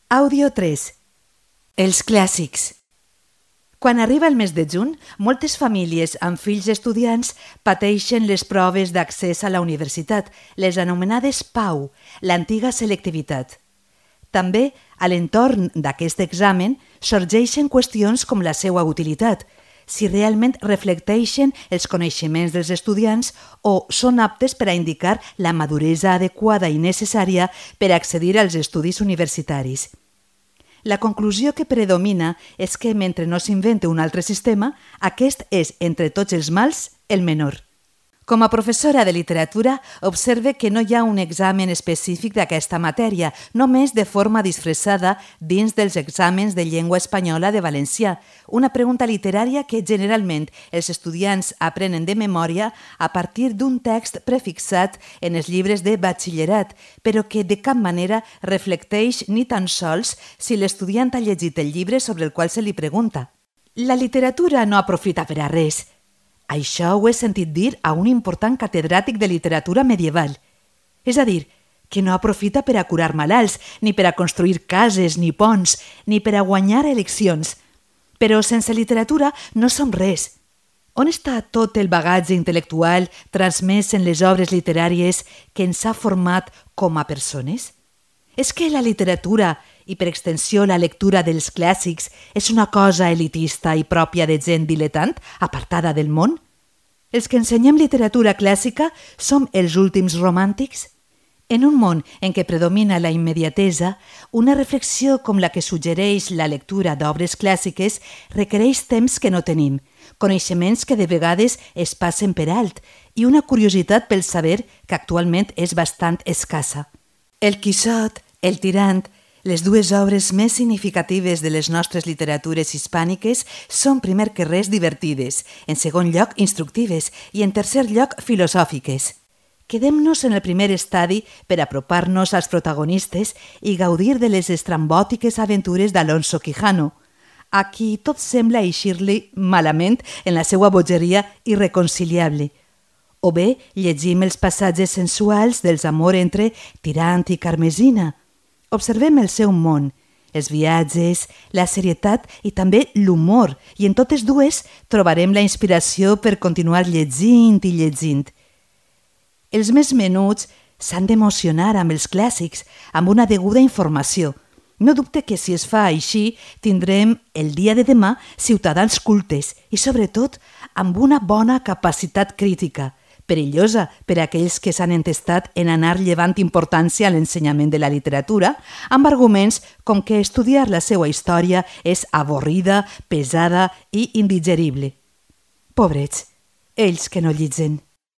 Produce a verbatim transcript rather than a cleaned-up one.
Àudio tres. Els clàssics. Quan arriba el mes de juny, moltes famílies amb fills estudiants pateixen les proves d'accés a la universitat, les anomenades P A U, l'antiga selectivitat. També, a l'entorn d'aquest examen, sorgeixen qüestions com la seva utilitat, si realment reflecteixen els coneixements dels estudiants o són aptes per a indicar la maduresa adequada i necessària per accedir als estudis universitaris. La conclusió que predomina és que, mentre no s'inventa un altre sistema, aquest és, entre tots els mals, el menor. Com a professora de literatura, observe que no hi ha un examen específic d'aquesta matèria, només de forma disfressada dins dels exàmens de llengua espanyola de valencià, una pregunta literària que generalment els estudiants aprenen de memòria a partir d'un text prefixat en els llibres de batxillerat, però que de cap manera reflecteix ni tan sols si l'estudiant ha llegit el llibre sobre el qual se li pregunta. La literatura no aprofita per a res. Això ho he sentit dir a un important catedràtic de literatura medieval. És a dir, que no aprofita per a curar malalts, ni per a construir cases, ni ponts, ni per a guanyar eleccions. Però sense literatura no som res. On està tot el bagatge intel·lectual transmès en les obres literàries que ens ha format com a persones? És que la literatura, i per extensió la lectura dels clàssics, és una cosa elitista i pròpia de gent diletant, apartada del món? Els que ensenyem literatura clàssica som els últims romàntics? En un món en què predomina la immediatesa, una reflexió com la que suggereix la lectura d'obres clàssiques requereix temps que no tenim, coneixements que de vegades es passen per alt i una curiositat pel saber que actualment és bastant escassa. El Quixot, el Tirant, les dues obres més significatives de les nostres literatures hispàniques són primer que res divertides, en segon lloc instructives i en tercer lloc filosòfiques. Quedem-nos en el primer estadi per apropar-nos als protagonistes i gaudir de les estrambòtiques aventures d'Alonso Quijano, a qui tot sembla eixir-li malament en la seva bogeria irreconciliable. O bé llegim els passatges sensuals dels amors entre Tirant i Carmesina. Observem el seu món, els viatges, la serietat i també l'humor, i en totes dues trobarem la inspiració per continuar llegint i llegint. Els més menuts s'han d'emocionar amb els clàssics, amb una deguda informació. No dubte que si es fa així tindrem el dia de demà ciutadans cultes i, sobretot, amb una bona capacitat crítica, perillosa per a aquells que s'han entestat en anar llevant importància a l'ensenyament de la literatura, amb arguments com que estudiar la seva història és avorrida, pesada i indigerible. Pobrets, ells que no llitgen.